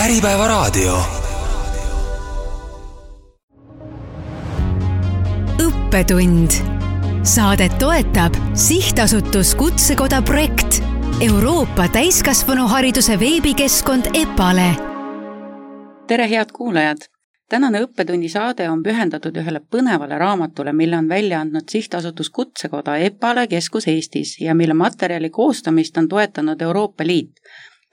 Äripäevaraadio. Õppetund. Saadet toetab Sihtasutus Kutsekoda projekt, Euroopa täiskasvanuhariduse veebikeskkond EPALE. Tere head kuulajad! Tänane õppetunni saade on pühendatud ühele põnevale raamatule, mille on välja andnud Sihtasutus Kutsekoda EPALE keskus Eestis ja mille materjali koostamist on toetanud Euroopa Liit.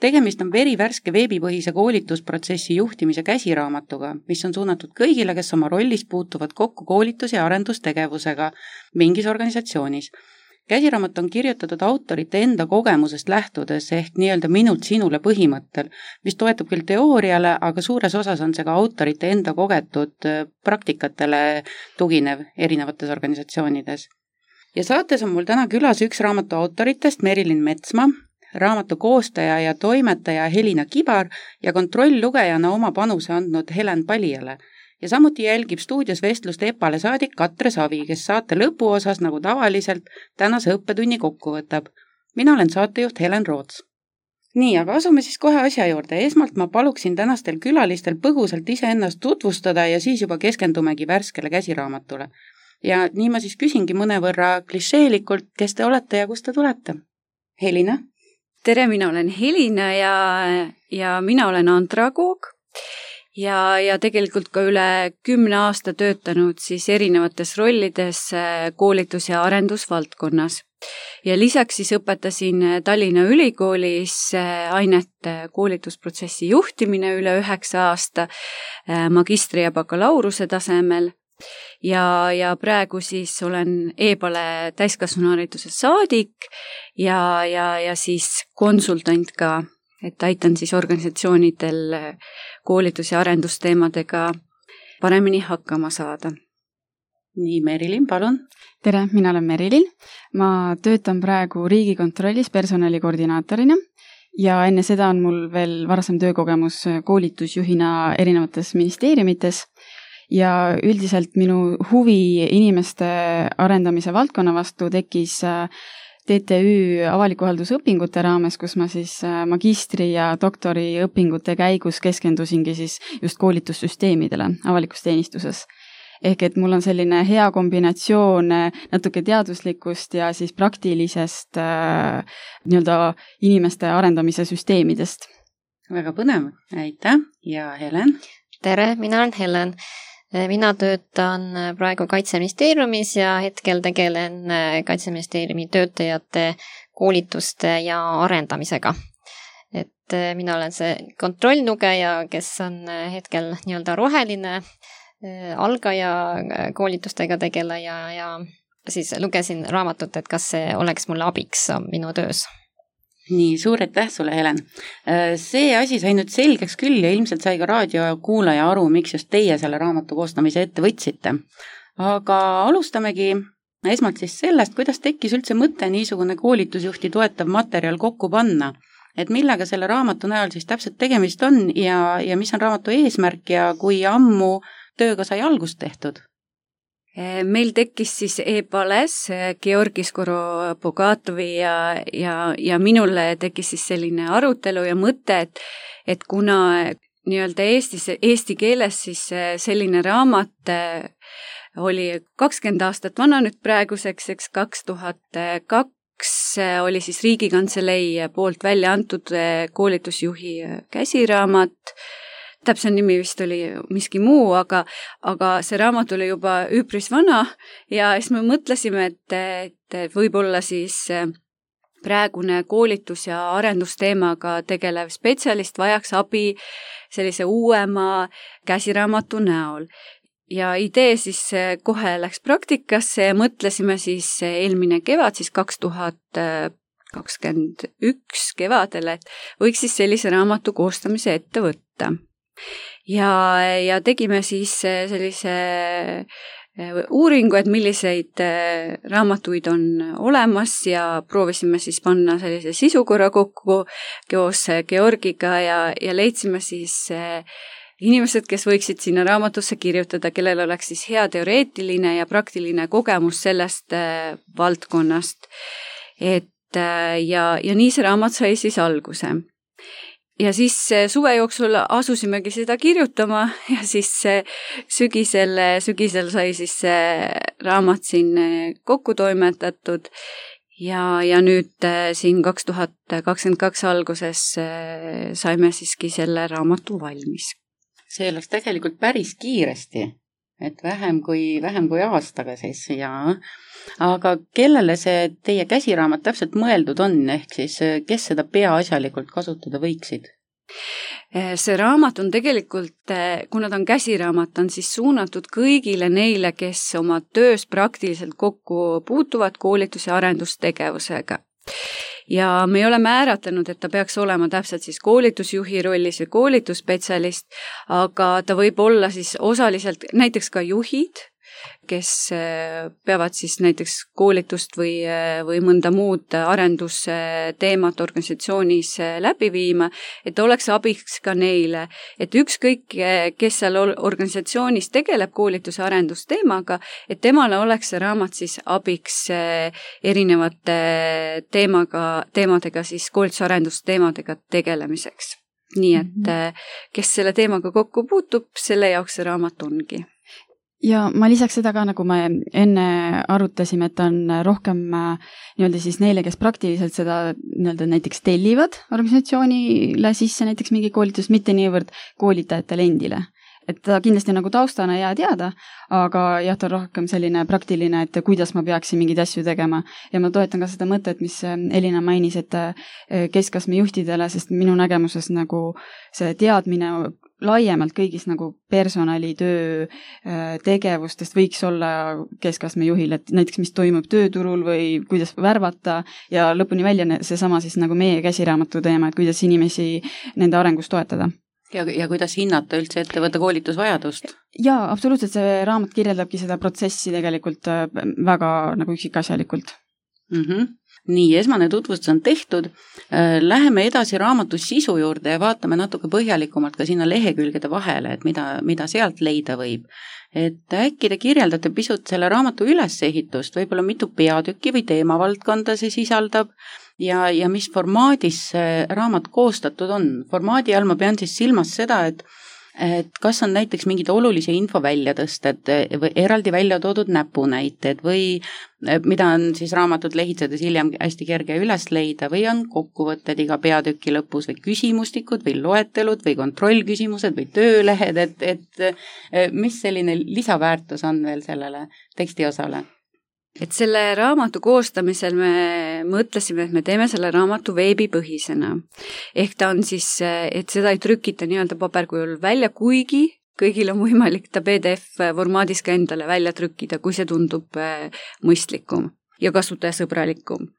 Tegemist on verivärske veebipõhise koolitusprotsessi juhtimise käsiraamatuga, mis on suunatud kõigile, kes oma rollis puutuvad kokku koolitus- ja arendustegevusega mingis organisatsioonis. Käsiraamat on kirjutatud autorite enda kogemusest lähtudes ehk nii-öelda minult sinule põhimõttel, mis toetub küll teooriale, aga suures osas on see ka autorite enda kogetud praktikatele tuginev erinevates organisatsioonides. Ja saates on mul täna külas üks raamatu autoritest, Merilin Metsmaa, raamatu koostaja ja toimetaja Helina Kibar ja kontrolllugejana oma panuse andnud Helen Palijale. Ja samuti jälgib stuudios vestlust EPALE saadik Katre Savi, kes saate lõpuosas nagu tavaliselt tänase õppetunni kokku võtab. Mina olen saatejuht Helen Roots. Nii, aga asume siis kohe asja juurde. Esmalt ma paluksin tänastel külalistel põgusalt iseennast tutvustada ja siis juba keskendumegi värskele käsiraamatule. Ja nii ma siis küsingi mõnevõrra klišeelikult, kes te olete ja kust te tulete? Helina? Tere, mina olen Helina ja mina olen andragoog ja tegelikult ka üle 10 aasta töötanud siis erinevates rollides koolitus- ja arendusvaldkonnas. Ja lisaks siis õpetasin Tallinna Ülikoolis ainet koolitusprotsessi juhtimine üle 9 aasta magistri- ja bakalaureuse tasemel. Ja praegu siis olen EPALE täiskasvanuhariduse saadik ja siis konsultant ka, et aitan siis organisatsioonidel koolitus- ja arendusteemadega paremini hakkama saada. Nii, Merilin, palun. Tere, mina olen Merilin. Ma töötan praegu Riigikontrollis personalikoordinaatorina ja enne seda on mul veel varasem töökogemus koolitusjuhina erinevates ministeeriumites. Ja üldiselt minu huvi inimeste arendamise valdkonna vastu tekkis TTÜ avaliku haldusõpingute raames, kus ma siis magistri- ja doktoriõpingute käigus keskendusingi siis just koolitussüsteemidele avalikus teenistuses. Ehk et mul on selline hea kombinatsioon natuke teaduslikust ja siis praktilisest nii-öelda inimeste arendamise süsteemidest. Väga põnev, aitäh ja Helen? Tere, mina olen Helen. Mina töötan praegu Kaitseministeeriumis ja hetkel tegelen Kaitseministeeriumi töötajate koolituste ja arendamisega. Et mina olen see kontrollnugeja, kes on hetkel nii-öelda roheline algaja koolitustega tegeleja ja siis lugesin raamatut, et kas see oleks mulle abiks minu töös. Nii, suur aitäh sulle, Helen. See asi sai nüüd selgeks küll ja ilmselt sai ka raadiokuulaja aru, miks just teie selle raamatu koostamise ette võtsite. Aga alustamegi esmalt siis sellest, kuidas tekkis üldse mõte niisugune koolitusjuhti toetav materjal kokku panna. Et millega selle raamatu näol siis täpselt tegemist on ja mis on raamatu eesmärk ja kui ammu tööga sai algust tehtud? Meil tekkis siis EPALES Georgi Skoropogatovi ja minule tekkis siis selline arutelu ja mõte, et kuna nii-öelda eesti keeles siis selline raamat oli 20 aastat vana nüüd praeguseks, 2002 oli siis Riigikantselei poolt välja antud koolitusjuhi käsiraamat. Täpselt nimi vist oli miski muu, aga see raamat oli juba üpris vana ja siis me mõtlesime, et võib-olla siis praegune koolitus- ja arendusteemaga tegelev spetsialist vajaks abi sellise uuema käsiraamatu näol. Ja idee siis kohe läks praktikasse ja mõtlesime siis eelmine kevad, siis 2021 kevadel, et võiks siis sellise raamatu koostamise ette võtta. Ja tegime siis sellise uuringu, et milliseid raamatuid on olemas ja proovisime siis panna sellise sisukorra kokku koos Georgiga ja leidsime siis inimesed, kes võiksid sinna raamatusse kirjutada, kellel oleks siis hea teoreetiline ja praktiline kogemus sellest valdkonnast. Ja nii see raamat sai siis alguse. ja siis suve jooksul asusimegi seda kirjutama ja siis sügisel sai siis see raamat siin kokku toimetatud ja nüüd siin 2022 alguses saime siiski selle raamatu valmis. See läks tegelikult päris kiiresti, et vähem kui aastaga siis ja aga kellele see teie käsiraamat täpselt mõeldud on, ehk siis kes seda peaasjalikult kasutada võiksid? See raamat on tegelikult, kuna ta on käsiraamat, on siis suunatud kõigile neile, kes oma töös praktiliselt kokku puutuvad koolitus- ja arendustegevusega. Ja me ei ole määratlenud, et ta peaks olema täpselt siis koolitusjuhi rollis või koolitusspetsialist, aga ta võib olla siis osaliselt näiteks ka juhid, kes peavad siis näiteks koolitust või mõnda muud arendusteemat organisatsioonis läbi viima, et oleks abiks ka neile, et ükskõik, kes seal organisatsioonis tegeleb koolituse arendusteemaga, et temale oleks see raamat siis abiks erinevate teemadega siis koolituse arendusteemadega tegelemiseks. Nii et kes selle teemaga kokku puutub, selle jaoks see raamat ongi. Ja ma lisaks seda ka, nagu me enne arutasime, et on rohkem nii-öelda siis neile, kes praktiliselt seda nii-öelda näiteks tellivad organisatsioonile sisse näiteks mingi koolitus, mitte niivõrd koolitajatele endile. Et ta kindlasti nagu taustana hea teada, aga jah, ta on rohkem selline praktiline, et kuidas ma peaksin mingeid asju tegema. Ja ma toetan ka seda mõtet, mis Elina mainis, et keskastme juhtidele, sest minu nägemuses nagu see teadmine laiemalt kõigis nagu personalitöö tegevustest võiks olla keskastme juhil, et näiteks mis toimub tööturul või kuidas värvata ja lõpuni välja seesama siis nagu meie käsiraamatu teema, et kuidas inimesi nende arengus toetada. Ja kuidas hinnata üldse ettevõtte koolitusvajadust? Jaa, absoluutselt, see raamat kirjeldabki seda protsessi tegelikult väga nagu üksikasjalikult. Nii, esmane tutvustus on tehtud. Läheme edasi raamatu sisu juurde ja vaatame natuke põhjalikumalt ka sinna lehekülgede vahele, et mida sealt leida võib. Et äkki te kirjeldate pisut selle raamatu ülesehitust, võib-olla mitu peatükki või teemavaldkonda see sisaldab ja mis formaadis see raamat koostatud on. Formaadi all ma pean siis silmas seda, et kas on näiteks mingid olulise info väljatõsted või eraldi välja toodud näpunäited või mida on siis raamatut lehitsedes hiljem hästi kerge üles leida või on kokkuvõtted iga peatüki lõpus või küsimustikud või loetelud või kontrollküsimused või töölehed, et mis selline lisaväärtus on veel sellele tekstiosale? Et selle raamatu koostamisel me mõtlesime, et me teeme selle raamatu veebipõhisena. Ehk ta on siis, et seda ei trükita nii-öelda paberkujul välja, kuigi kõigil on võimalik ta PDF-formaadis ka endale välja trükkida, kui see tundub mõistlikum ja kasutajasõbralikum.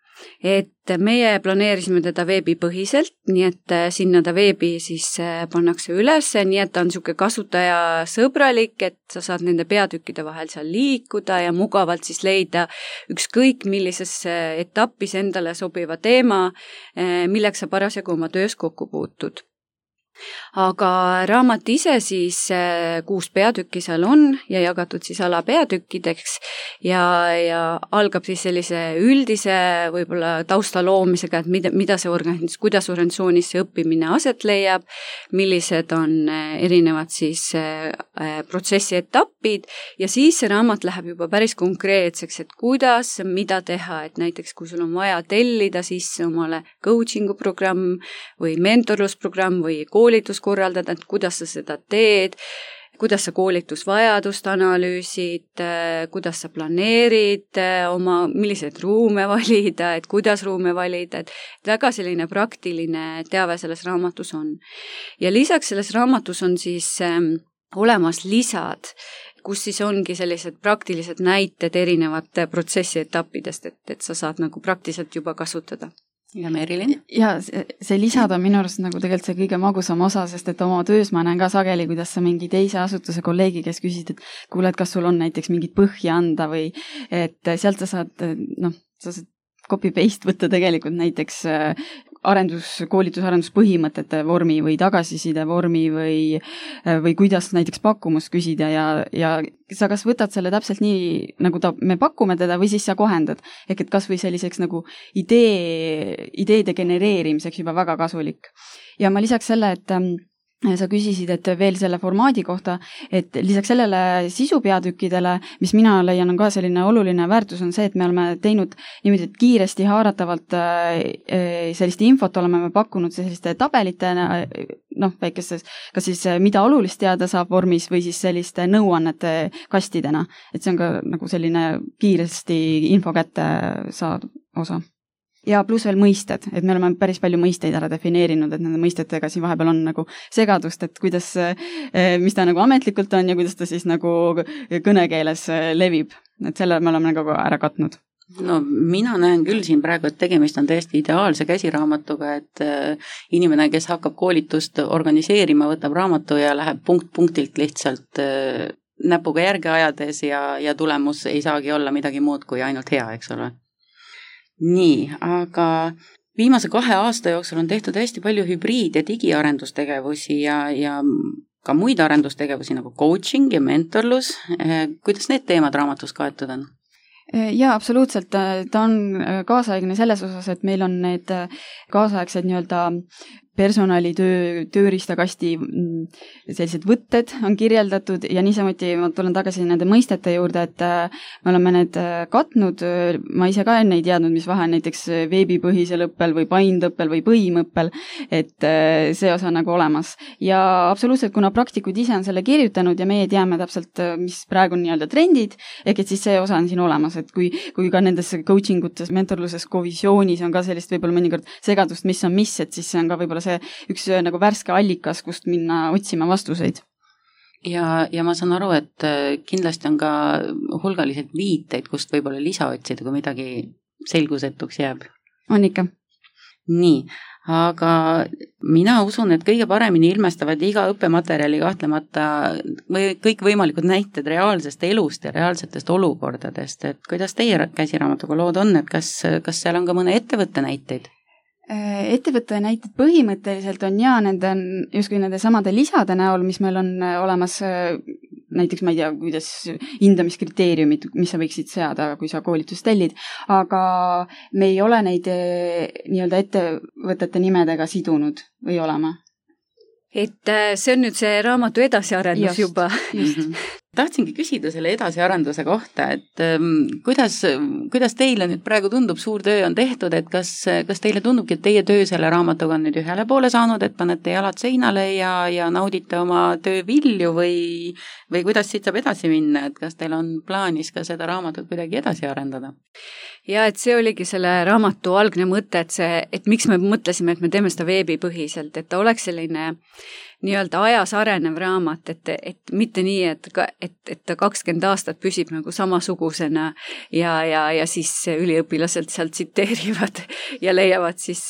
Et meie planeerisime teda veebipõhiselt, nii et sinna ta veebi siis pannakse üles, nii et ta on niisugune kasutajasõbralik, et sa saad nende peatükkide vahel seal liikuda ja mugavalt siis leida ükskõik millises etapis endale sobiva teema, milleks sa parasjagu oma töös kokku puutud. Aga raamat ise siis 6 peatükki seal on ja jagatud siis alapeatükkideks ja algab siis sellise üldise võib-olla tausta loomisega, et mida see kuidas organisatsioonis see õppimine aset leiab, millised on erinevad siis protsessi etapid ja siis see raamat läheb juba päris konkreetseks, et kuidas, mida teha, et näiteks kui sul on vaja tellida sisse omale coachingu programm või mentorlusprogramm või koolitus korraldada, et kuidas sa seda teed, kuidas sa koolitusvajadust analüüsid, kuidas sa planeerid milliseid ruume valida, et kuidas ruume valida, et väga selline praktiline teave selles raamatus on. Ja lisaks selles raamatus on siis olemas lisad, kus siis ongi sellised praktilised näited erinevate protsessi etappidest, et sa saad nagu praktiliselt juba kasutada. Ja Merilin? Ja see lisad on minu arust nagu tegelikult see kõige magusam osa, sest et oma töös ma näen ka sageli, kuidas sa mingi teise asutuse kolleegi, kes küsid, et kuule, et kas sul on näiteks mingit põhja anda või et sealt sa saad copy-paste võtta tegelikult näiteks koolitus-arenduspõhimõtete vormi või tagasiside vormi või kuidas näiteks pakkumust küsida ja sa kas võtad selle täpselt nii, nagu me pakume teda või siis sa kohendad. Ehk et kas või selliseks nagu ideede genereerimiseks juba väga kasulik. Ja ma lisaks selle, et sa küsisid, et veel selle formaadi kohta, et lisaks sellele sisupeatükkidele, mis mina leian on ka selline oluline väärtus, on see, et me oleme teinud niimoodi, et kiiresti haaratavalt sellist infot oleme me pakkunud selliste tabelitena, väikestes, kas siis mida olulist teada saab vormis või siis selliste nõuannete kastidena. Et see on ka nagu selline kiiresti info kätte saad osa. Ja pluss veel mõisted, et me oleme päris palju mõisteid ära defineerinud, et nende mõistetega siin vahepeal on nagu segadust, et kuidas, mis ta nagu ametlikult on ja kuidas ta siis nagu kõnekeeles levib. Et selle me oleme nagu ära katnud. No mina näen küll siin praegu, et tegemist on täiesti ideaalse käsiraamatuga, et inimene, kes hakkab koolitust organiseerima, võtab raamatu ja läheb punkt-punktilt lihtsalt näpuga järge ajades ja tulemus ei saagi olla midagi muud kui ainult hea, eks ole. Nii, aga viimase 2 aasta jooksul on tehtud hästi palju hübriid- ja digiarendustegevusi ja ka muid arendustegevusi nagu coaching ja mentorlus. Kuidas need teemad raamatus kaetud on? Jaa, absoluutselt. Ta on kaasaegne selles osas, et meil on need kaasaegsed nii-öelda personalitöö, tööriistakasti sellised võtted on kirjeldatud ja niisamuti ma tulen tagasi nende mõistete juurde, et me oleme need katnud, ma ise ka enne ei teadnud, mis vahe näiteks veebipõhisel õppel või paindõppel või põhimõppel, et see osa nagu olemas. Ja absoluutselt, kuna praktikud ise on selle kirjutanud ja meie teame täpselt, mis praegu on nii-öelda trendid, ehk et siis see osa on siin olemas, et kui ka nendes coachingutes, mentorluses, visioonis on ka sellist võib-olla mõnikord segadust, mis on mis, et siis see on ka võib-olla see üks nagu värske allikas, kust minna otsima vastuseid. Ja ma saan aru, et kindlasti on ka hulgaliselt viiteid, kust võib-olla lisa otsida, kui midagi selgusetuks jääb. On ikka. Nii, aga mina usun, et kõige paremini ilmestavad iga õppematerjali kahtlemata või kõik võimalikud näited reaalsest elust ja reaalsetest olukordadest. Et kuidas teie käsiraamatuga lood on, et kas seal on ka mõne ettevõtte näiteid? Ettevõtte näited põhimõtteliselt on justkui nende samade lisade näol, mis meil on olemas, näiteks ma ei tea, kuidas hindamiskriteeriumid, mis sa võiksid seada, kui sa koolitust tellid, aga me ei ole neid nii-öelda ettevõtete nimedega sidunud või olema. Et see on nüüd see raamatu edasiarendus juba. Tahtsingi küsida selle edasiarenduse kohta, et kuidas teile nüüd praegu tundub, suur töö on tehtud, et kas teile tundubki, et teie töö selle raamatuga on nüüd ühele poole saanud, et panete jalad seinale ja naudite oma töö vilju või kuidas siit saab edasi minna, et kas teil on plaanis ka seda raamatut kuidagi edasi arendada? Ja et see oligi selle raamatu algne mõte, et miks me mõtlesime, et me teeme seda veebipõhiselt, et ta oleks selline nii-öelda ajas arenev raamat, et mitte nii, et ta 20 aastat püsib nagu samasugusena ja siis üliõpilased sealt tsiteerivad ja leiavad siis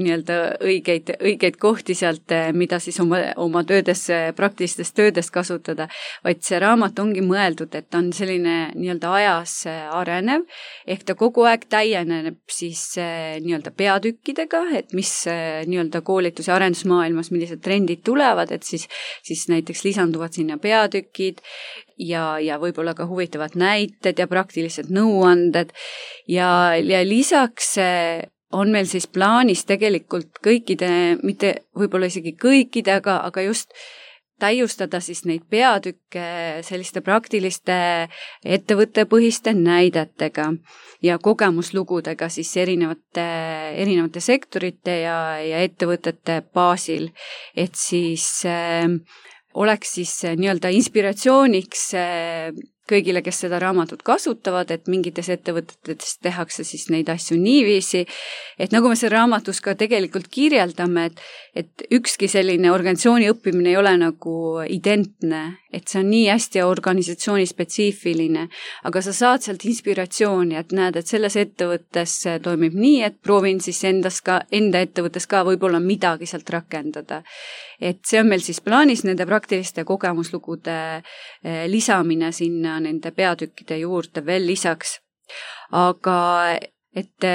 nii-öelda õigeid kohti sealt, mida siis oma töödes, praktilistes töödes kasutada, vaid see raamat ongi mõeldud, et ta on selline nii-öelda ajas arenev, ehk ta kogu aeg täieneb siis nii-öelda peatükkidega, et mis nii-öelda koolitus- ja arendusmaailmas, millised trendid tulevad, et siis näiteks lisanduvad sinna peatükid ja võib-olla ka huvitavad näited ja praktilised nõuanded ja lisaks on meil siis plaanis tegelikult kõikide, mitte võib-olla isegi kõikide, aga just täiustada siis neid peatükke selliste praktiliste ettevõttepõhiste näidetega ja kogemuslugudega siis erinevate sektorite ja ettevõtete baasil, et siis oleks siis nii-öelda inspiratsiooniks kõigile, kes seda raamatut kasutavad, et mingites ettevõtetes tehakse siis neid asju niiviisi, et nagu me selle raamatus ka tegelikult kirjeldame, et ükski selline organisatsiooni õppimine ei ole nagu identne, et see on nii hästi organisatsiooni spetsiifiline, aga sa saad sealt inspiratsiooni, et näed, et selles ettevõttes toimib nii, et proovin siis enda ettevõttes ka võib-olla midagi sealt rakendada. Et see on meil siis plaanis nende praktiliste kogemuslugude lisamine sinna nende peatükkide juurde veel lisaks. Aga et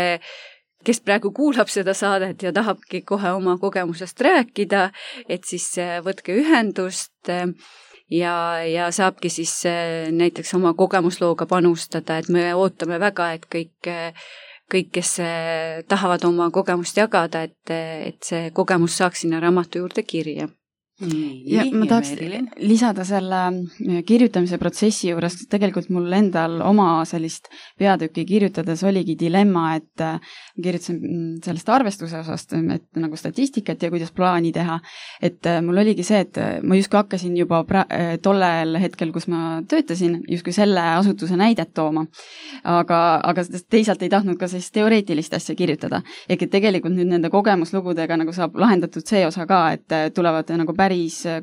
kes praegu kuulab seda saadet ja tahabki kohe oma kogemusest rääkida, et siis võtke ühendust ja saabki siis näiteks oma kogemuslooga panustada, et me ootame väga, et kõik, kes tahavad oma kogemust jagada, et see kogemus saaks sinna raamatu juurde kirja. Ja ma tahaks lisada selle kirjutamise protsessi juures, tegelikult mul endal oma sellist peatükki kirjutades oligi dilemma, et kirjutasin sellest arvestuse osast, et nagu statistikat ja kuidas plaani teha, et mul oligi see, et ma justkui hakkasin juba tollel hetkel, kus ma töötasin, justkui selle asutuse näidet tooma, aga teisalt ei tahtnud ka sellist teoreetilist asja kirjutada. Ehk et tegelikult nüüd nende kogemuslugudega nagu saab lahendatud see osa ka, et tulevad nagu päris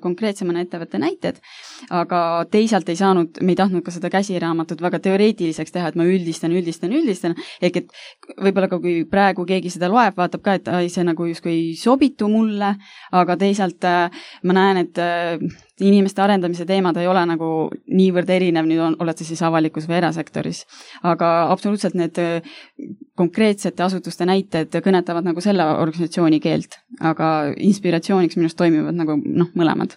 konkreetsemana ettevõtte näited, aga teisalt ei tahtnud ka seda käsiraamatut väga teoreetiliseks teha, et ma üldistan, ehk et võib-olla ka kui praegu keegi seda loeb, vaatab ka, et see nagu justkui ei sobitu mulle, aga teisalt ma näen, et inimeste arendamise teemad ei ole nagu niivõrd erinev, nüüd oled sa siis avalikus või erasektoris. Aga absoluutselt need konkreetsete asutuste näited kõnetavad nagu selle organisatsiooni keelt, aga inspiratsiooniks minust toimivad nagu mõlemad.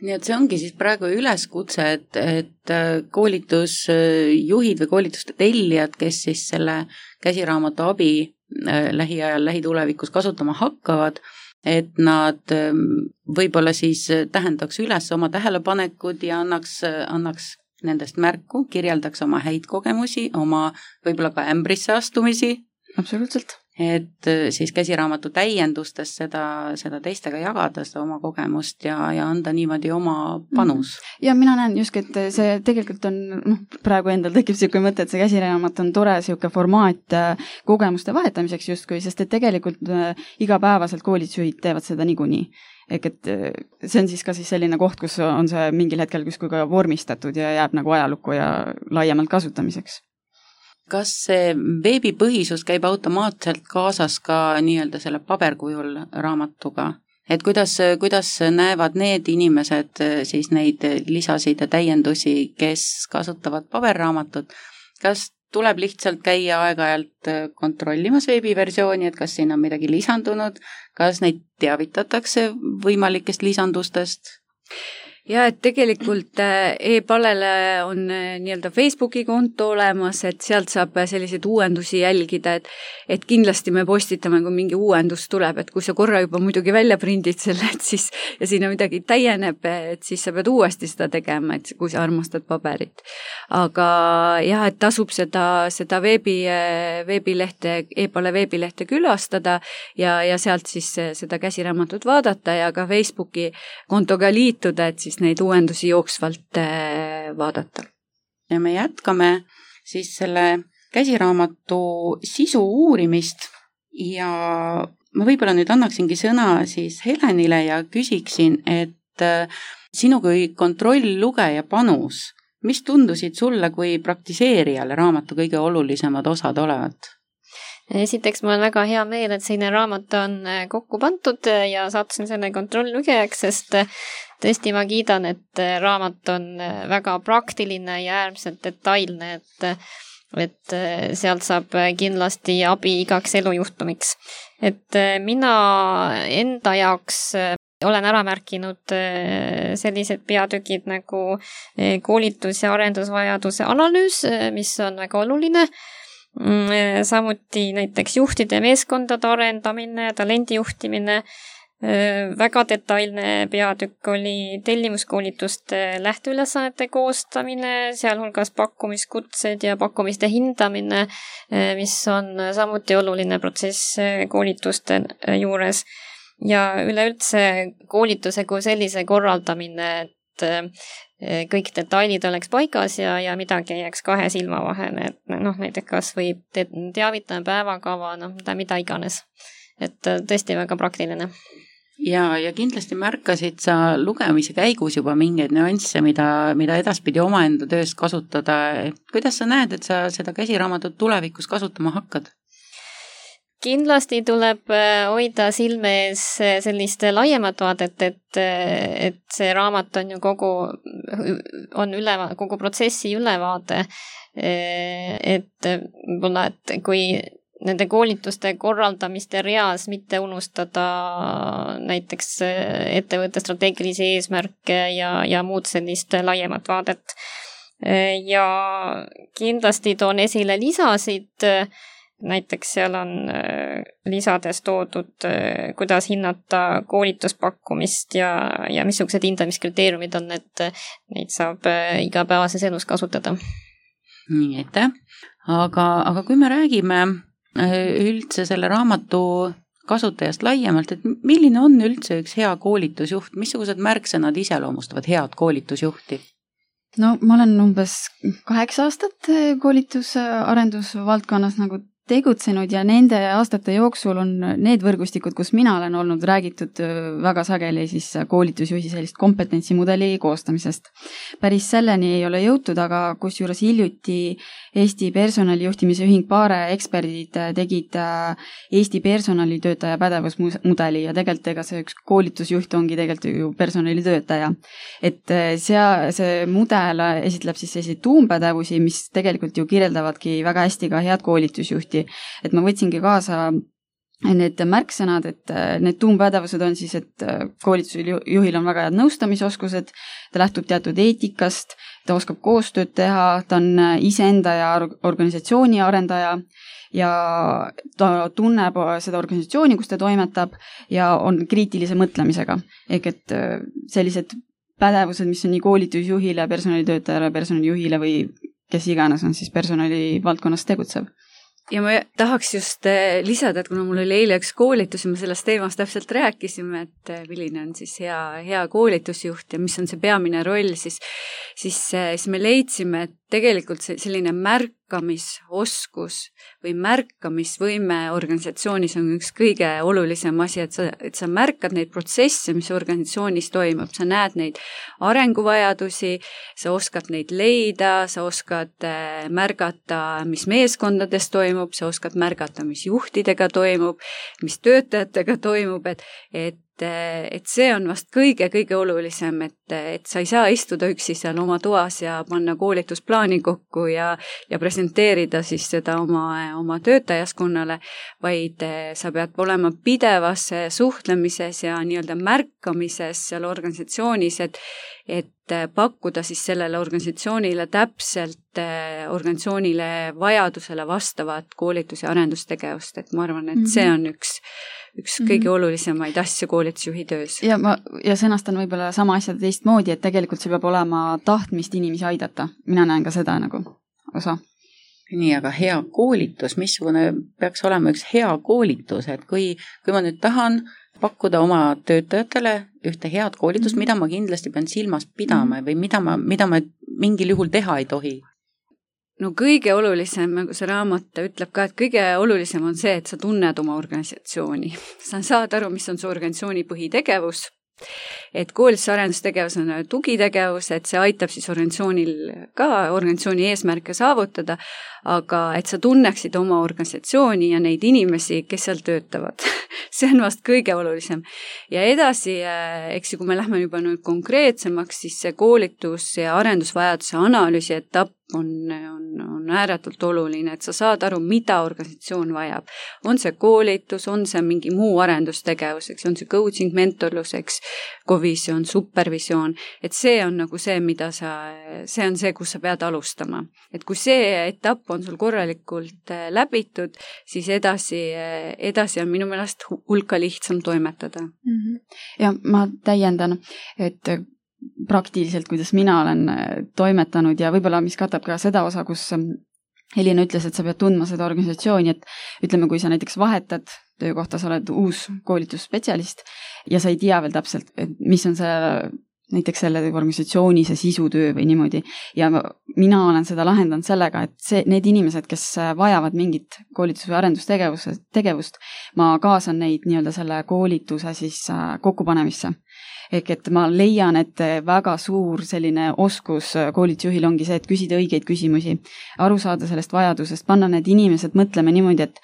Nii et see ongi siis praegu üleskutse, et koolitusjuhid või koolituste tellijad, kes siis selle käsiraamatu abi lähiajal, lähitulevikus kasutama hakkavad, et nad võib-olla siis tähendaks üles oma tähelepanekud ja annaks nendest märku, kirjeldaks oma häid kogemusi, oma võib-olla ka ämbrisse astumisi. Absoluutselt. Et siis käsiraamatu täiendustes seda teistega jagada, seda oma kogemust ja anda niimoodi oma panus. Ja mina näen just, et see tegelikult on, praegu endal tekib selline mõte, et see käsiraamat on tore selline formaat kogemuste vahetamiseks justkui, sest et tegelikult igapäevaselt koolitusjuhid teevad seda niikuinii. Ehk et see on siis ka siis selline koht, kus on see mingil hetkel kuskil ka vormistatud ja jääb nagu ajalukku ja laiemalt kasutamiseks. Kas see veebipõhisus käib automaatselt kaasas ka nii-öelda selle paberkujul raamatuga? Et kuidas näevad need inimesed siis neid lisasid ja täiendusi, kes kasutavad paberraamatut? Kas tuleb lihtsalt käia aeg-ajalt kontrollimas veebiversiooni, et kas siin on midagi lisandunud? Kas neid teavitatakse võimalikest lisandustest? Ja et tegelikult e-palele on nii-öelda Facebooki konto olemas, et sealt saab selliseid uuendusi jälgida, et kindlasti me postitame, kui mingi uuendus tuleb, et kui sa korra juba muidugi välja prindid selle, et siis, ja sinna midagi täieneb, et siis sa pead uuesti seda tegema, et kui sa armastad paberit. Aga jah, et tasub seda veebilehte, e-pale veebilehte külastada ja sealt siis seda käsiraamatut vaadata ja ka Facebooki kontoga liituda, et siis neid uuendusi jooksvalt vaadata. Ja me jätkame siis selle käsiraamatu sisu uurimist ja ma võib-olla nüüd annaksingi sõna siis Helenile ja küsiksin, et sinu kui kontrolllugeja panus, mis tundusid sulle kui praktiseerijale raamatu kõige olulisemad osad olevat? Esiteks mul on väga hea meel, et selline raamat on kokku pandud ja sattusin selle kontrolllugejaks, sest tõesti ma kiidan, et raamat on väga praktiline ja äärmiselt detailne, et sealt saab kindlasti abi igaks elujuhtumiks. Et mina enda jaoks olen ära märkinud sellised peatükid nagu koolitus- ja arendusvajaduse analüüs, mis on väga oluline. Samuti näiteks juhtide meeskondade arendamine, talendijuhtimine, väga detailne peatükk oli tellimuskoolituste lähteülesannete koostamine, sealhulgas pakkumiskutsed ja pakkumiste hindamine, mis on samuti oluline protsess koolituste juures. Ja üleüldse koolituse kui sellise korraldamine, et kõik detailid oleks paigas ja midagi jääks kahe silma vahele, et näiteks kas võib teavitame päevakava, mida iganes. Et tõesti väga praktiline. Ja kindlasti märkasid sa lugemise käigus juba mingeid nüansse, mida edaspidi omaenda töös kasutada. Et kuidas sa näed, et sa seda käsiraamatut tulevikus kasutama hakkad? Kindlasti tuleb hoida silme ees sellist laiemat vaadet, et see raamat on ju kogu protsessi ülevaade. Et võib-olla, et kui nende koolituste korraldamiste reas mitte unustada näiteks ettevõtte strateegilisi eesmärke ja muud sellist laiemat vaadet. Ja kindlasti toon esile lisasid, näiteks seal on lisades toodud, kuidas hinnata koolituspakkumist ja missugused hindamiskriteeriumid on, et neid saab igapäevases elus kasutada. Nii, aitäh. Aga kui me räägime üldse selle raamatu kasutajast laiemalt, et milline on üldse üks hea koolitusjuht, missugused märksõnad iseloomustavad head koolitusjuhti? No ma olen umbes 8 aastat koolitusarendusvaldkonnas nagu tegutsenud ja nende aastate jooksul on need võrgustikud, kus mina olen olnud, räägitud väga sageli siis koolitusjuhi sellist kompetentsimudeli koostamisest. Päris selleni ei ole jõutud, aga kusjuures hiljuti Eesti personalijuhtimise ühing Paare eksperdid tegid Eesti personalitöötaja pädevusmudeli ja tegelikult ega see üks koolitusjuht ongi tegelikult ju personalitöötaja. Et see mudel esitleb siis selliseid tuumpädevusi, mis tegelikult ju kirjeldavadki väga hästi ka head koolitusjuhti. Et ma võtsingi kaasa need märksõnad, et need tuumpädevused on siis, et koolitusjuhil on väga head nõustamisoskused, ta lähtub teatud eetikast, ta oskab koostööd teha, ta on iseenda ja organisatsiooni arendaja ja ta tunneb seda organisatsiooni, kus ta toimetab ja on kriitilise mõtlemisega. Ehk et sellised pädevused, mis on nii koolitusjuhile, personalitöötajale, personalijuhile või kes iganes on siis personali valdkonnas tegutsev. Ja ma tahaks just lisada, et kuna mul oli eile üks koolitus ja me sellest teemast täpselt rääkisime, et milline on siis hea koolitusjuht ja mis on see peamine roll, siis me leidsime, et tegelikult selline märkamisoskus või märkamisvõime organisatsioonis on üks kõige olulisem asi, et sa märkad neid protsesse, mis organisatsioonis toimub, sa näed neid arenguvajadusi, sa oskad neid leida, sa oskad märgata, mis meeskondades toimub, sa oskad märgata, mis juhtidega toimub, mis töötajatega toimub, et see on vast kõige olulisem, et sa ei saa istuda üksi seal oma toas ja panna koolitusplaani kokku ja presenteerida siis seda oma töötajaskonnale, vaid sa pead olema pidevas suhtlemises ja nii-öelda märkamises seal organisatsioonis, et pakkuda siis sellele organisatsioonile täpselt organisatsioonile vajadusele vastavat koolitus- ja arendustegevust, et ma arvan, et see on üks kõige olulisemaid asju koolitusjuhi töös. Ja sõnastan võib-olla sama asjad teistmoodi, et tegelikult see peab olema tahtmist inimesi aidata. Mina näen ka seda nagu osa. Nii, aga hea koolitus, missugune peaks olema üks hea koolitus, et kui ma nüüd tahan pakkuda oma töötajatele ühte head koolitust, mida ma kindlasti pean silmas pidama või mida ma mingil juhul teha ei tohi? No kõige olulisem, nagu see raamat ütleb ka, et kõige olulisem on see, et sa tunned oma organisatsiooni. Sa saad aru, mis on su organisatsiooni põhitegevus, et koolitusarendustegevus on tugitegevus, et see aitab siis organisatsioonil ka organisatsiooni eesmärke saavutada, aga et sa tunneksid oma organisatsiooni ja neid inimesi, kes seal töötavad. See on vast kõige olulisem. Ja edasi, eks kui me lähme juba nüüd konkreetsemaks, siis see koolitus- ja arendusvajaduse analüüsi etapp on ääretult oluline, et sa saad aru, mida organisatsioon vajab. On see koolitus, on see mingi muu arendustegevus, eks, on see coaching, mentorlus, eks, kovisioon, supervisioon, et see on nagu see, see on see, kus sa pead alustama. Et kui see etapp on sul korralikult läbitud, siis edasi on minu meelest hulka lihtsam toimetada. Ja ma täiendan, et praktiliselt, kuidas mina olen toimetanud ja võib-olla mis katab ka seda osa, kus Helina ütles, et sa pead tundma seda organisatsiooni, et ütleme, kui sa näiteks vahetad töökohta, sa oled uus koolitusspetsialist ja sa ei tea veel täpselt, et mis on see näiteks selle organisatsiooni see sisutöö või niimoodi. Ja mina olen seda lahendanud sellega, et need inimesed, kes vajavad mingit koolitus- või arendustegevust, ma kaasan neid nii-öelda selle koolituse siis kokkupanemisse. Ehk et ma leian, et väga suur selline oskus koolitusjuhil ongi see, et küsida õigeid küsimusi, aru saada sellest vajadusest, panna need inimesed mõtlema niimoodi, et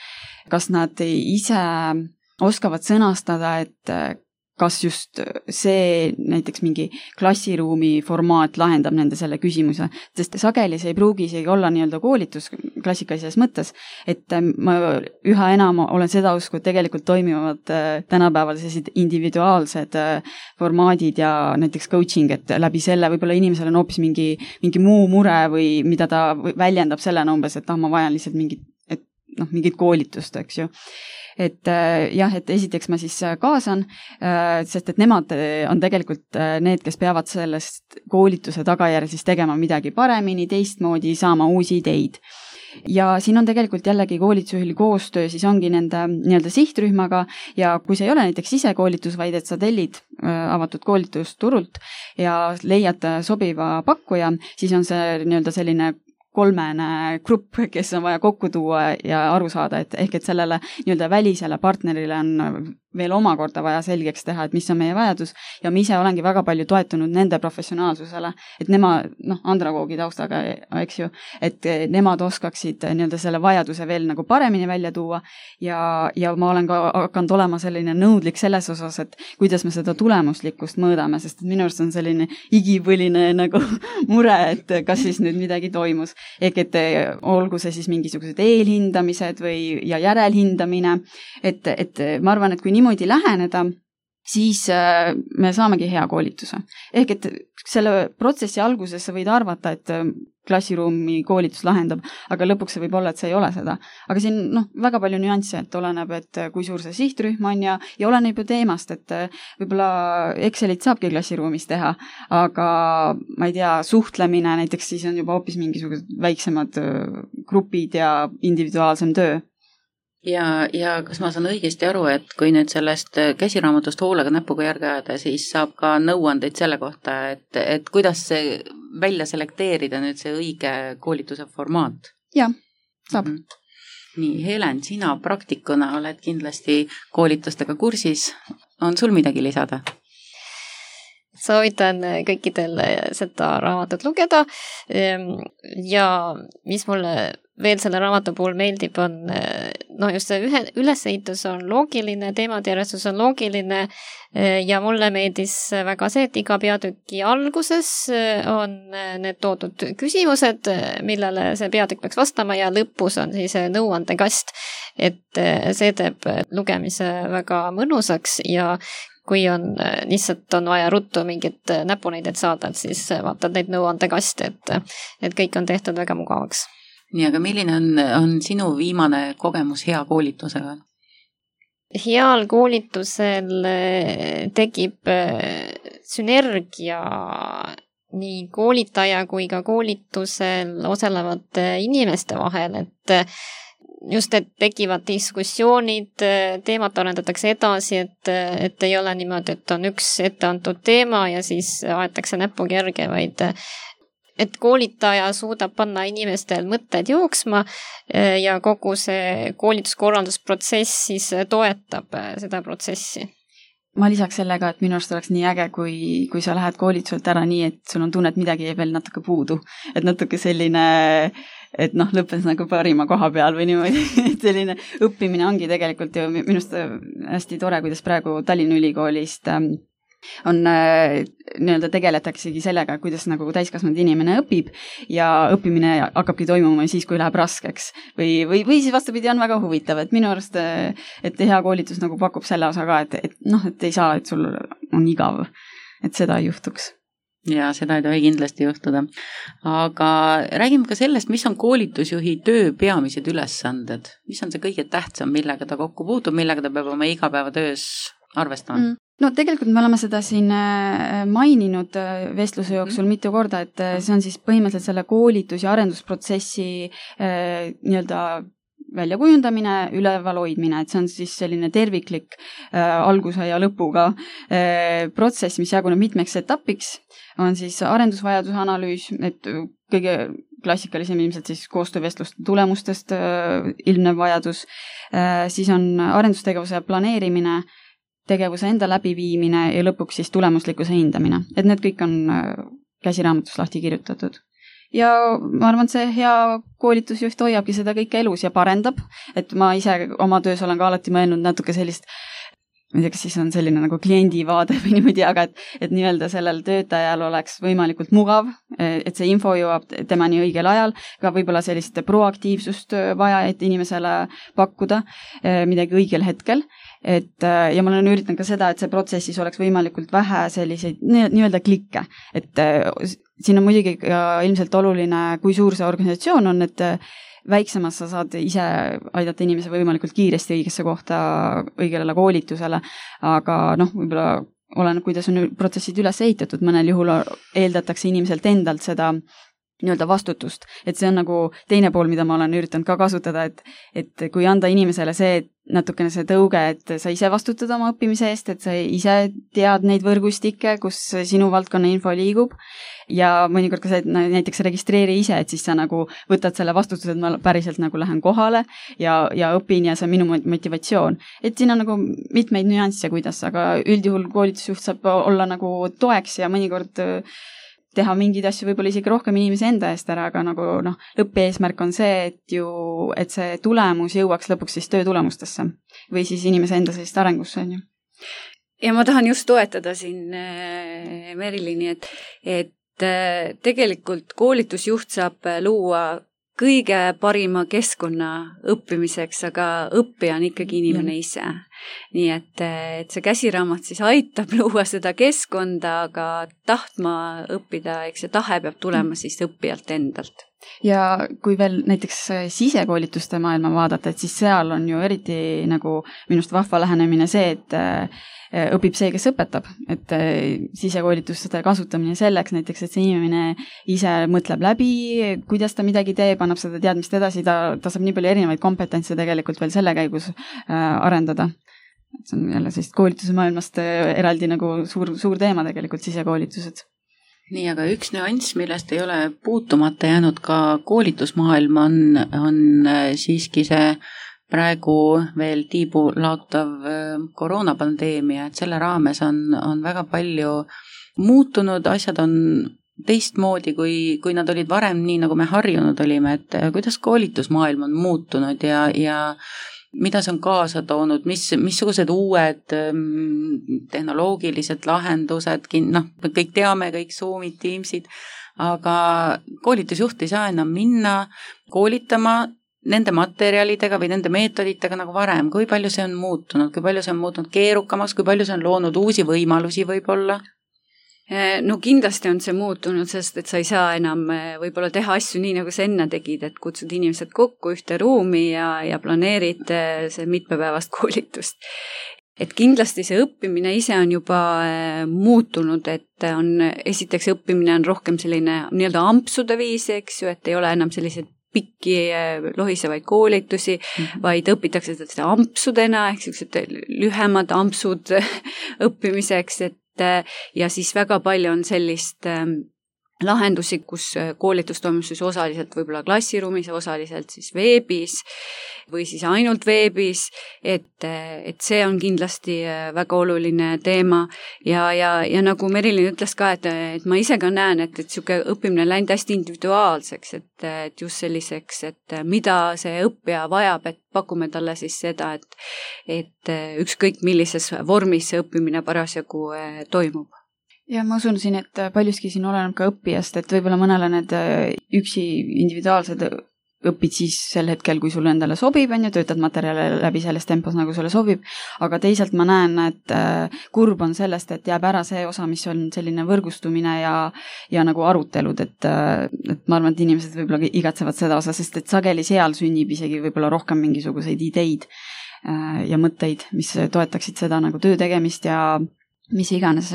kas nad ise oskavad sõnastada, et kas just see näiteks mingi klassiruumi formaat lahendab nende selle küsimuse, sest sageli see ei pruugi isegi olla nii-öelda koolitus klassikalises mõttes, et ma üha enam olen seda usku, et tegelikult toimivad tänapäeval sellised individuaalsed formaadid ja näiteks coaching, et läbi selle võib-olla inimesel on hoopis mingi muu mure või mida ta väljendab sellena umbes, et ma vajan lihtsalt mingit koolitust, eks ju. Et jah, et esiteks ma siis kaasan, sest et nemad on tegelikult need, kes peavad sellest koolituse tagajärjel siis tegema midagi paremini, teistmoodi, saama uusi ideid. Ja siin on tegelikult jällegi koolitusjuhil koostöö, siis ongi nende nii-öelda sihtrühmaga ja kui see ei ole näiteks sisekoolitus, vaid et sa tellid avatud koolitusturult ja leiad sobiva pakkuja, siis on see nii-öelda selline kolmene grupp, kes on vaja kokku tuua ja aru saada, et ehk et sellele nii-öelda välisele partnerile on veel omakorda vaja selgeks teha, et mis on meie vajadus ja ma ise olengi väga palju toetunud nende professionaalsusele, et nemad, andragoogi taustaga, eks ju, et nemad oskaksid nii-öelda selle vajaduse veel nagu paremini välja tuua ja ma olen ka hakanud olema selline nõudlik selles osas, et kuidas me seda tulemuslikkust mõõdame, sest minu arust on selline igipõline nagu mure, et kas siis nüüd midagi toimus. Ehk et olgu see siis mingisugused eelhindamised ja järelhindamine, et ma arvan, et kui niimoodi läheneda, siis me saamegi hea koolituse. Ehk et selle protsessi alguses sa võid arvata, et klassiruumi koolitus lahendab, aga lõpuks see võib olla, et see ei ole seda. Aga siin väga palju nüansse, et oleneb, et kui suur see sihtrühm on ja oleneb ju teemast, et võib-olla Excelit saabki klassiruumis teha, aga ma ei tea, suhtlemine näiteks siis on juba hoopis mingisugused väiksemad grupid ja individuaalsem töö. Ja kas ma saan õigesti aru, et kui nüüd sellest käsiraamatust hoolega näpuga järge ajada, siis saab ka nõuandeid selle kohta, et kuidas see välja selekteerida nüüd see õige koolituse formaat? Jah, saab. Nii, Helen, sina praktikuna oled kindlasti koolitustega kursis. On sul midagi lisada? Soovitan kõikidel seda raamatut lugeda ja mis mulle veel selle raamatu puhul meeldib, on just see ülesehitus on loogiline, teemadjärjestus on loogiline ja mulle meeldis väga see, et iga peatüki alguses on need toodud küsimused, millele see peatükk peaks vastama ja lõpus on siis nõuandekast, et see teeb lugemise väga mõnusaks ja kui on lihtsalt on vaja ruttu mingit näpunäidet saada, et siis vaatad neid nõuandekaste, et kõik on tehtud väga mugavaks. Nii, aga milline on sinu viimane kogemus hea koolitusega? Heal koolitusel tekib sünergia nii koolitaja kui ka koolitusel osalevate inimeste vahel, et just, et tekivad diskussioonid, teemat arendatakse edasi, et ei ole niimoodi, et on üks etteantud teema ja siis aetakse näpuga järge, vaid et koolitaja suudab panna inimestel mõtted jooksma ja kogu see koolituskorraldusprotsess siis toetab seda protsessi. Ma lisaks sellega, et minu arust oleks nii äge, kui sa lähed koolituselt ära nii, et sul on tunne, et midagi jäi veel natuke puudu. Et natuke selline, et lõppes nagu parima koha peal või niimoodi. Et selline õppimine ongi tegelikult ju minust hästi tore, kuidas praegu Tallinna Ülikoolist on nii-öelda tegeletaksegi sellega, kuidas nagu täiskasvanud inimene õpib ja õppimine hakkabki toimuma siis, kui läheb raskeks. Või siis vastupidi on väga huvitav, et minu arust, et hea koolitus nagu pakub selle osa ka, et ei saa, et sul on igav, et seda ei juhtuks. Ja seda ei tohi kindlasti juhtuda. Aga räägime ka sellest, mis on koolitusjuhi töö peamised ülesanded. Mis on see kõige tähtsam, millega ta kokku puutub, millega ta peab oma igapäevatöös arvestama? No tegelikult me oleme seda siin maininud vestluse jooksul mitu korda, et see on siis põhimõtteliselt selle koolitus- ja arendusprotsessi nii-öelda väljakujundamine, üleval hoidmine, et see on siis selline terviklik alguse ja lõpuga protsess, mis jaguneb mitmeks etapiks, on siis arendusvajaduse analüüs, et kõige klassikalisem ilmselt siis koostöövestluste tulemustest ilmnev vajadus, siis on arendustegevuse planeerimine, tegevuse enda läbiviimine ja lõpuks siis tulemuslikkuse hindamine. Et need kõik on käsiraamatus lahti kirjutatud. Ja ma arvan, et see hea koolitusjuht hoiabki seda kõike elus ja parendab, et ma ise oma töös olen ka alati mõelnud natuke sellist ma ei tea, kas siis on selline nagu kliendi vaade või niimoodi, aga et nii-öelda sellel töötajal oleks võimalikult mugav, et see info jõuab temani õigel ajal, ka võib-olla sellist proaktiivsust vaja, et inimesele pakkuda midagi õigel hetkel. Ja ma olen üritanud ka seda, et see protsessis oleks võimalikult vähe selliseid nii-öelda klikke, et siin on muidugi ilmselt oluline, kui suur see organisatsioon on, et väiksemas sa saad ise aidata inimese võimalikult kiiresti õigesse kohta, õigele koolitusele, aga võib-olla oleneb, kuidas on protsessid üles ehitatud, mõnel juhul eeldatakse inimeselt endalt seda nii-öelda vastutust, et see on nagu teine pool, mida ma olen üritanud ka kasutada, et kui anda inimesele see, natukene see tõuge, et sa ise vastutad oma õppimise eest, et sa ise tead neid võrgustikke, kus sinu valdkonna info liigub ja mõnikord ka see, et näiteks registreeri ise, et siis sa nagu võtad selle vastutuse, et ma päriselt nagu lähen kohale ja õpin ja see on minu motivatsioon. Et siin on nagu mitmeid nüansse, kuidas, aga üldjuhul koolitusjuht saab olla nagu toeks ja mõnikord teha mingeid asju võib-olla isegi rohkem inimese enda eest ära, aga nagu lõppeesmärk on see, et see tulemus jõuaks lõpuks siis töö tulemustesse või siis inimese enda sellist arengusse, on ju. Ja ma tahan just toetada siin Merilini, et tegelikult koolitusjuht saab luua kõige parima keskkonna õppimiseks, aga õppija on ikkagi inimene ise. Nii et see käsiraamat siis aitab luua seda keskkonda, aga tahtma õppida, eks see tahe peab tulema siis õppijalt endalt. Ja kui veel näiteks sisekoolituste maailma vaadata, et siis seal on ju eriti nagu minust vahva lähenemine see, et õpib see, kes õpetab, et sisekoolituste kasutamine selleks näiteks, et see inimene ise mõtleb läbi, kuidas ta midagi teeb, annab seda teadmist edasi, ta saab nii palju erinevaid kompetentse tegelikult veel selle käigus arendada. See on jälle sellist koolituse maailmast eraldi nagu suur teema tegelikult, sisekoolitused. Nii, aga üks nüanss, millest ei ole puutumata jäänud ka koolitusmaailm on siiski see praegu veel tiibu laotav koroonapandeemia, et selle raames on väga palju muutunud, asjad on teistmoodi, kui nad olid varem, nii nagu me harjunud olime, et kuidas koolitusmaailm on muutunud ja mida see on kaasa toonud, missugused uued tehnoloogilised lahendused, me kõik teame, kõik Zoomid, Teamsid, aga koolitusjuht ei saa enam minna koolitama nende materjalidega või nende meetoditega nagu varem. Kui palju see on muutunud, kui palju see on muutunud keerukamaks, kui palju see on loonud uusi võimalusi võib-olla? No kindlasti on see muutunud, sest et sa ei saa enam võib-olla teha asju nii, nagu sa enne tegid, et kutsud inimesed kokku ühte ruumi ja planeerid see mitmepäevast koolitust. Et kindlasti see õppimine ise on juba muutunud, et esiteks õppimine on rohkem selline nii-öelda ampsude viis, eks ju, et ei ole enam sellised pikki lohisevaid koolitusi, vaid õpitakse seda ampsudena, ehk lühemad ampsud õppimiseks, ja siis väga palju on sellist lahendusi, kus koolitus toimub siis osaliselt võib-olla klassiruumis, osaliselt siis veebis või siis ainult veebis, et see on kindlasti väga oluline teema ja nagu Merilin ütles ka, et ma ise ka näen, et selline õppimine on läinud hästi individuaalseks, et just selliseks, et mida see õppija vajab, et pakume talle siis seda, et ükskõik millises vormis see õppimine parasjagu toimub. Ja ma usun siin, et paljuski siin oleneb ka õppijast, et võib-olla mõnele need üksi individuaalsed õpid siis sel hetkel, kui sulle endale sobib, töötad materjale läbi selles tempos, nagu sulle sobib, aga teisalt ma näen, et kurb on sellest, et jääb ära see osa, mis on selline võrgustumine ja nagu arutelud, et ma arvan, et inimesed võib-olla igatsevad seda osa, sest et sageli seal sünnib isegi võib-olla rohkem mingisuguseid ideid ja mõtteid, mis toetaksid seda nagu töö tegemist ja mis iganes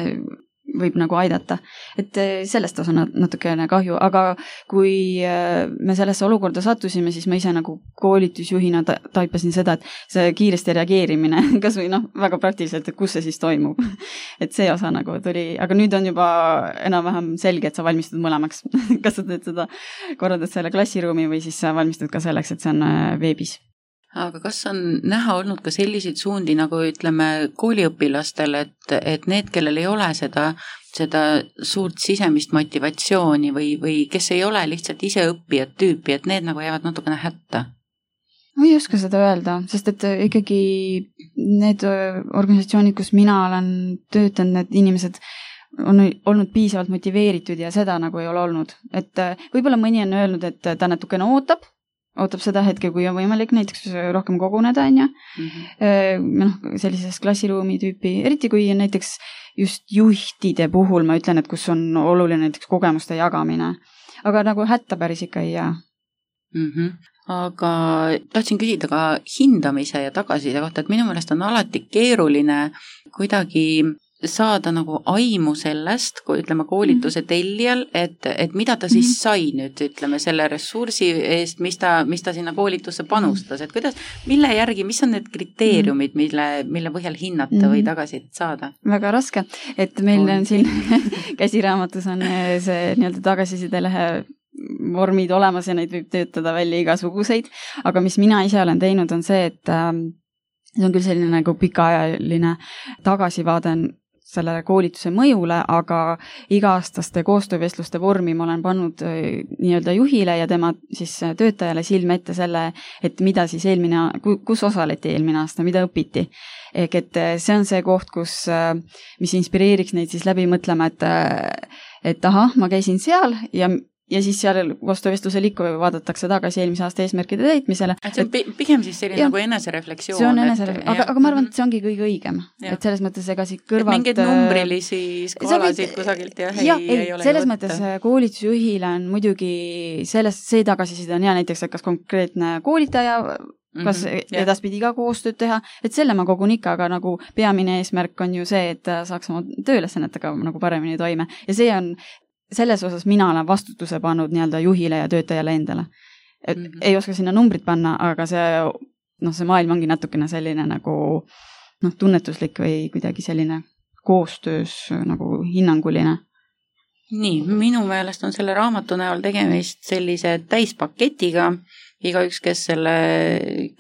võib nagu aidata. Et sellest osa natukene kahju, aga kui me sellesse olukorda sattusime, siis ma ise nagu koolitusjuhina taipasin seda, et see kiiresti reageerimine, kas või väga praktiliselt, et kus see siis toimub. Et see osa nagu tuli, aga nüüd on juba enam-vähem selge, et sa valmistud mõlemaks. Kas sa teed seda, korraldad selle klassiruumi või siis sa valmistud ka selleks, et see on veebis. Aga kas on näha olnud ka selliseid suundi, nagu ütleme kooliõpilastel, et need, kellel ei ole seda suurt sisemist motivatsiooni või kes ei ole lihtsalt ise õppijad tüüpi, et need nagu jäävad natukene hätta? ma ei oska seda öelda, sest et ikkagi need organisatsioonid, kus mina olen töötanud, need inimesed on olnud piisavalt motiveeritud ja seda nagu ei ole olnud. Et võib-olla mõni on öelnud, et ta natukene ootab seda hetke, kui on võimalik näiteks rohkem koguneda, on ju. Sellises klassiruumi tüüpi, eriti kui näiteks just juhtide puhul ma ütlen, et kus on oluline näiteks kogemuste jagamine. Aga nagu hätta päris ikka ei jää. Aga tahtsin küsida ka hindamise ja tagasiside kohta, et minu meelest on alati keeruline kuidagi saada nagu aimu sellest, kui ütleme koolituse tellijal, et mida ta siis sai nüüd, ütleme, selle ressursi eest, mis ta sinna koolitusse panustas, et kuidas, mille järgi, mis on need kriteeriumid, mille põhjal hinnata või tagasi saada? Väga raske, et meil on siin käsiraamatus on see nii-öelda tagasisidelehe vormid olemas ja neid võib töötada välja igasuguseid, aga mis mina ise olen teinud, on see, et see on küll selline nagu pikaajaline tagasivaade selle koolituse mõjule, aga iga-aastaste koostöövestluste vormi ma olen pannud nii-öelda juhile ja tema siis töötajale silme ette selle, et mida siis kus osaleti eelmine aasta, mida õpiti. Ehk et see on see koht, mis inspireeriks neid siis läbi mõtlema, et ahah, ma käisin seal ja siis seal koostöövestlusel ikka vaadatakse tagasi eelmise aasta eesmärkide täitmisele. See on pigem siis selline nagu enesereflektsioon. See on enesereflektsioon, aga ma arvan, et see ongi kõige õigem. Et selles mõttes ega siit kõrvalt... Mingeid numbrilisi skaalasid kusagilt ei ole. Selles mõttes koolitusjuhile on muidugi see tagasiside on hea näiteks, et kas konkreetne koolitaja, kas edaspidi ka koostööd teha, et selle ma kogun ikka, aga nagu peamine eesmärk on ju see, et saaks oma tööülesannetega nagu paremini toime. Ja see on selles osas mina olen vastutuse pannud nii-öelda juhile ja töötajale endale. Et ei oska sinna numbrit panna, aga see maailm ongi natukene selline nagu tunnetuslik või kuidagi selline koostöös nagu hinnanguline. Nii, minu meelest on selle raamatu näol tegemist sellise täispaketiga. Igaüks, kes selle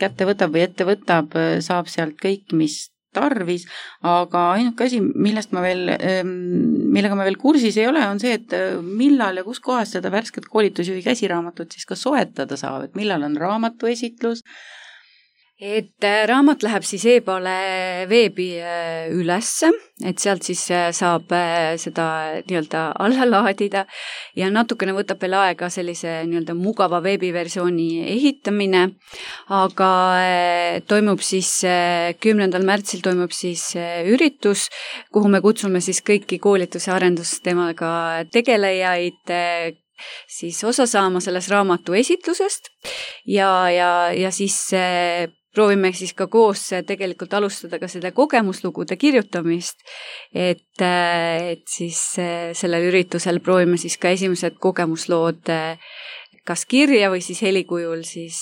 kätte võtab või ette võtab, saab sealt kõik, mis tarvis, aga ainuke asi, millega ma veel kursis ei ole, on see, et millal ja kus kohas seda värsket koolitusjuhi käsiraamatut siis ka soetada saab, et millal on raamatu esitlus. Et raamat läheb siis e-poole veebi ülesse, et sealt siis saab seda nii-öelda alla laadida ja natukene võtab veel aega sellise nii-öelda mugava veebiversiooni ehitamine, aga toimub siis 10. märtsil toimub siis üritus, kuhu me kutsume siis kõiki koolituse arendustemaga tegelejaid siis osa saama selles raamatu esitlusest ja siis proovime siis ka koos tegelikult alustada ka selle kogemuslugude kirjutamist, et siis sellel üritusel proovime siis ka esimesed kogemuslood kas kirja või siis helikujul siis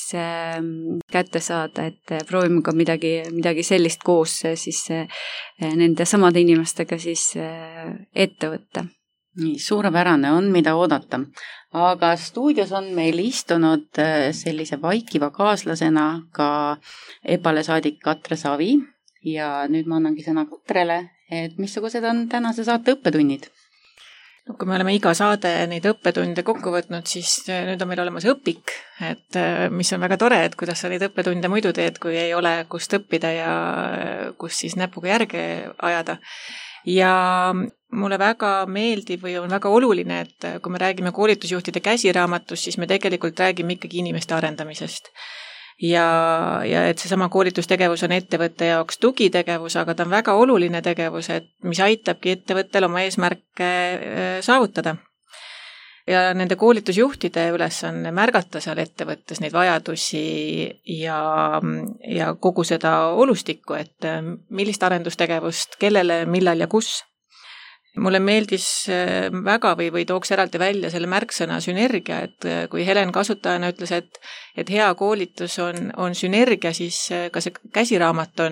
kätte saada, et proovime ka midagi sellist koos siis nende samade inimestega siis ette võtta. Nii, suurepärane on, mida oodata. Aga stuudios on meil istunud sellise vaikiva kaaslasena ka EPALE saadik Katre Savi ja nüüd ma annangi sõna Katrele, et missugused on tänase saate õppetunnid? No, kui me oleme iga saade neid õppetunde kokku võtnud, siis nüüd on meil olemas õpik, et mis on väga tore, et kuidas sa neid õppetunde muidu teed, kui ei ole kust õppida ja kus siis näpuga järge ajada. Ja mulle väga meeldib või on väga oluline, et kui me räägime koolitusjuhtide käsiraamatust, siis me tegelikult räägime ikkagi inimeste arendamisest. Ja et seesama koolitustegevus on ettevõtte jaoks tugitegevus, aga ta on väga oluline tegevus, et mis aitabki ettevõttel oma eesmärke saavutada. Ja nende koolitusjuhtide ülesanne märgata seal ettevõttes neid vajadusi ja kogu seda olustikku, et millist arendustegevust, kellele, millal ja kus. Mulle meeldis väga või tooks eraldi välja selle märksõna sünergia, et kui Helen kasutajana ütles, et hea koolitus on sünergia, siis ka see käsiraamat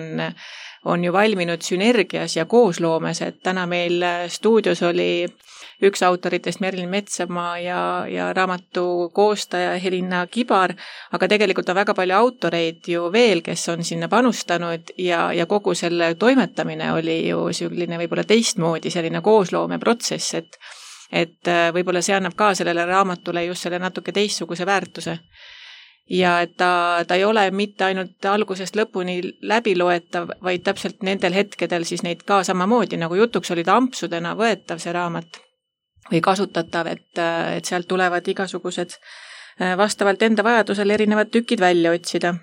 on ju valminud sünergias ja koosloomes, et täna meil stuudios oli üks autoritest Merilin Metsamaa ja raamatu koostaja Helina Kibar, aga tegelikult on väga palju autoreid ju veel, kes on sinna panustanud ja kogu selle toimetamine oli ju selline võib-olla teistmoodi selline koosloomeprotsess, et võib-olla see annab ka sellele raamatule just selle natuke teistsuguse väärtuse. ja et ta ei ole mitte ainult algusest lõpuni läbiloetav, vaid täpselt nendel hetkedel siis neid ka samamoodi, nagu jutuks oli ta ampsudena võetav see raamat või kasutatav, et sealt tulevad igasugused vastavalt enda vajadusel erinevad tükid välja otsida.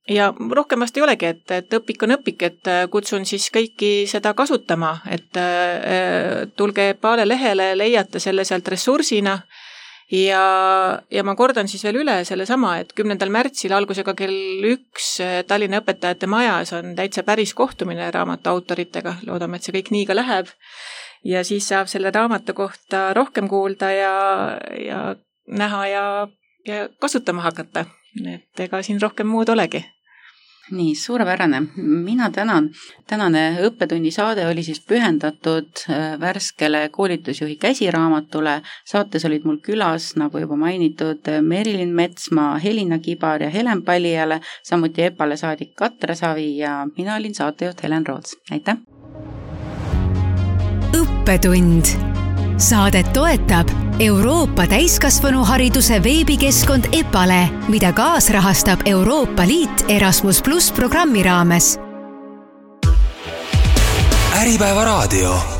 Ja rohkem vast ei olegi, et õpik on õpik, et kutsun siis kõiki seda kasutama, et tulge Epale lehele, leiate selle sealt ressursina ja ma kordan siis veel üle selle sama, et 10. märtsil algusega kell 1 Tallinna õpetajate majas on täitsa päris kohtumine raamatu autoritega, loodame, et see kõik nii ka läheb ja siis saab selle raamatu kohta rohkem kuulda ja näha ja kasutama hakata, et ega siin rohkem muud olegi. Nii, suurepärane. Mina tänan. Tänane õppetunni saade oli siis pühendatud värskele koolitusjuhi käsiraamatule. Saates olid mul külas, nagu juba mainitud, Merilin Metsmaa, Helina Kibar ja Helen Palijale, samuti Epale saadik Katre Savi ja mina olin saatejuht Helen Roots. Aitäh! Õppetund. Saadet toetab Euroopa täiskasvanuhariduse veebikeskkond Epale, mida kaasrahastab Euroopa Liit Erasmus+ programmi raames. Äripäeva raadio.